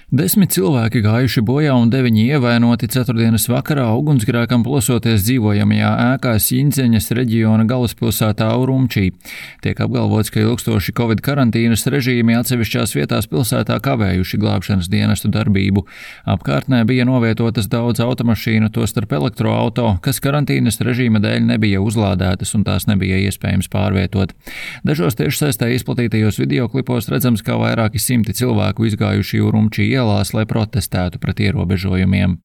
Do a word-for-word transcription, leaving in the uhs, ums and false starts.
Desmit cilvēki gājuši bojā un deviņi ievainoti ceturtdienas vakarā ugunsgrēkam plosoties dzīvojamajā ēkā Siņdzeņas reģiona galvaspilsētā Urumčī. Tiek apgalvots, ka ilgstoši Covid karantīnas režīmi atsevišķās vietās pilsētā kavējuši glābšanas dienestu darbību. Apkārtnē bija novietotas daudz automašīnu, tostarp elektroauto, kas karantīnas režīma dēļ nebija uzlādētas un tās nebija iespējams pārvietot. Dažos tiešsaistē izplatītajos videoklipos redzams, kā vairāki simti cilvēku izgājuši Urumčī ielās, lai protestētu pret ierobežojumiem.